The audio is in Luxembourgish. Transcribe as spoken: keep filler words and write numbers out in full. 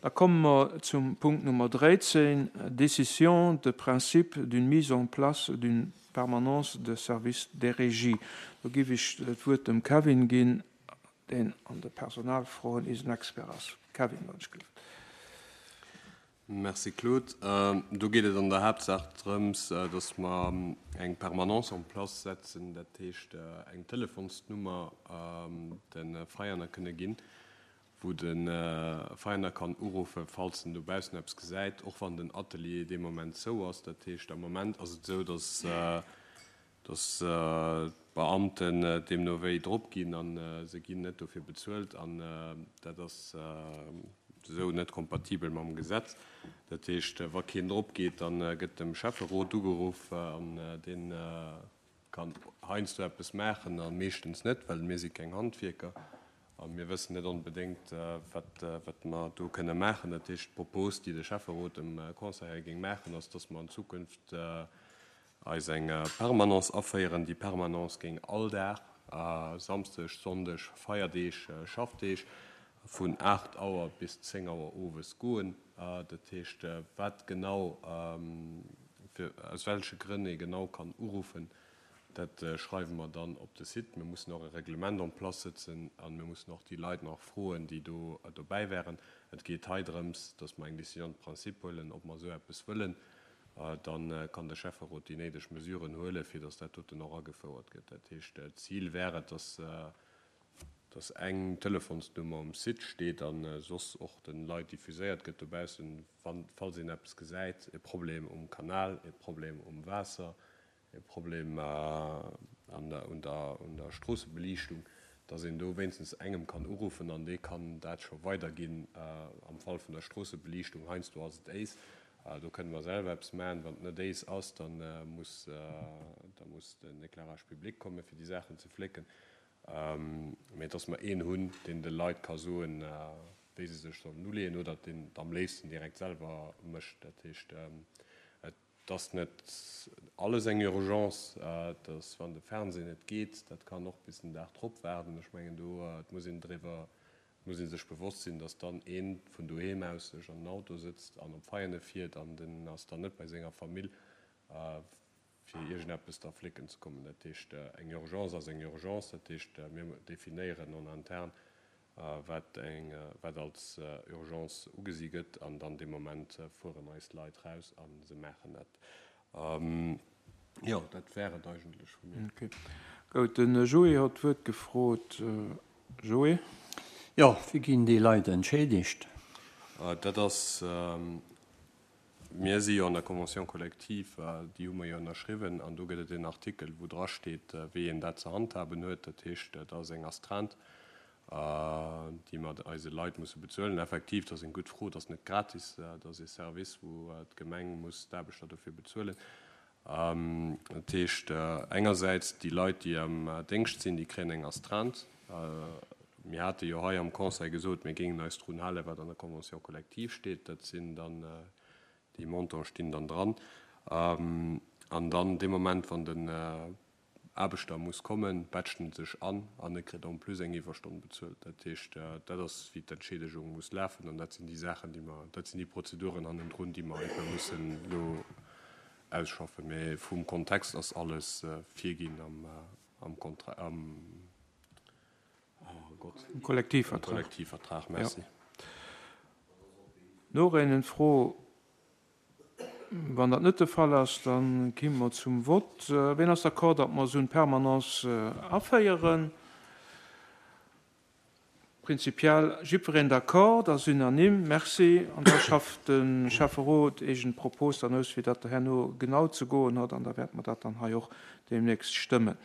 Da komme mer zum Punkt Nummer dräizéng, Décision de principe d'une mise en place d'une permanence de service des régies. Do géif ech d'Wuert dem Kevin ginn, deen an de Personalfroen eisen Expert ass. Kevin, wann ech gelift. Merci Claude. Do geet et an der Haaptsaach drëms, dass mer eng Permanence en place setzen, dat heescht eng Telefonsnummer de Veianer kënne ginn, wou de Veianer kann uruffen, falls en dobaussen eppes gesäit, och wann den Atelier dee Moment zou ass. Dat heescht, am Moment ass et esou, dass dass d'Beamten deemno wéi drop ginn a se ginn net dofir bezuelt an dat ass esou net kompatibel mam Gesetz. Dat heescht, wa keen drop geet, da gëtt dem Schäfferot ugeruff an dee kann heiansdo eppes maachen a meeschtens net, well mir si keng Handwierker a mir wëssen net onbedéngt, wat wat mer do kënne maachen. Dat heescht, d'Propos, déi de Schäfferot dem Conseil hei géing maachen, ass, dass mer an Zukunft eis eng Permanence aféieren. Déi Permanence géing all Dag, Samsdeg, Sonndeg, Feierdeeg, Schaffdeeg, vun aacht Auer bis zéng Auer owes goen. Dat heescht, wat genau, fir aus welche Grënn ee genau kann uruffen, dat schreiwe mer dann op de Site. Mir mussen och e Reglement en place sëtzen a mir mussen och déi Leit nach froen, déi do dobäi wären. Et geet hei drëms, dass mer eng Décision de principe huelen, ob mer esou eppes wëllen. Dann kann de Schäfferot déi néideg Mesuren huelen, fir dass dat doten och agefouert gëtt. Dat heescht, d'Zil wär et, dass, dass eng Telefonsnummer um Site steet a soss och de Leit diffuséiert gëtt dobaussen, wann, falls een eppes gesäit, e Problem um Kanal, e Problem um Waasser, e Problem an der, un der, un der Stroossebeliichtung, dass een do wéinstens engem kann uruffen an dee kann dat scho weiderginn. Am Fall vun der Stroossebeliichtung, heiansdo ass et éis, do kënne mer selwer eppes maachen. Wann et net éis ass, da muss, da muss den Éclairage public komme fir déi Saachen ze flécken. Mee dass mer een hunn, deen de Leit ka soen, wéi se sech sollen uleeën oder deen et am léifsten direkt selwer mécht. Dat heescht, et ass net alles eng Urgence, dass wann de Fernseh net geet, dat kann och bis den Dag drop waarden. Ech mengen do, et muss een driwwer, et muss ee sech bewosst sinn, dass dann ee vun doheem aus sech an den Auto sëtzt an op Veiane fiert an den ass dann net bei senger Famill, fir iergendeppes da flécken ze kommen. Dat heescht, eng Urgence ass eng Urgence. Dat heescht, mir definéieren en interne, wat eng, wat als Urgence ugesi gëtt an dann dee Moment fueren eis Leit raus a se maachen dat. Jo, dat wär et eigentlech vu mir. Okay. Gout, de Joé huet d'Wuert gefrot. Joé? Jo, wéi ginn déi Leit entschädigt? Dat ass, mir si jo an der Convention collective, déi hu mer jo ënnerschriwwen, an do gëtt et en Artikel, wou drasteet, wéi een dat ze handhaben huet. Dat heescht, dat ass eng Astreinte, déi mer eise Leit musse bezuelen. Effektiv, dat ass eng gutt Fro, dat ass net gratis, dat ass ee Service, wou d'Gemeng muss d'Aarbechter dofir bezuelen. Dat heescht, engersäits déi Leit, déi am Déngscht sinn, déi kréien eng Astreinte. Mir hate jo hei am Conseil gesot, mir géingen eis drun halen, wat an der Convention collective steet. Dat sinn dann, déi Montanten stinn dann dran. An dann dee Moment, wann den Aarbechter muss kommen, batcht en sech an an e kritt en plus eng Iwwerstonn bezuelt. Dat heescht, dat ass, wéi d'Entschiedegung muss lafen an dat sinn déi Saachen, déi mer, dat sinn déi Prozeduren hannendrun, déi mer einfach mussen elo ausschaffen. Mee vum Kontext ass alles virginn am, am Kontra-, am, oh Gott. Am Kollektivvertrag. Kollektivvertrag, merci. Ja. Noreen, Fro? Wann dat net de Fall ass, da gi mer zum Vott. Wien ass d'accord, datt mer esou eng Permanence aféieren? Prinzipiell jiddwereen d'accord, dat ass unanime. Merci. An da schafft de Schäfferot eegen Propos dann aus, wéi dat herno genau ze goen huet, an da wäerte mer dat dann hei och deemnächst stëmmen.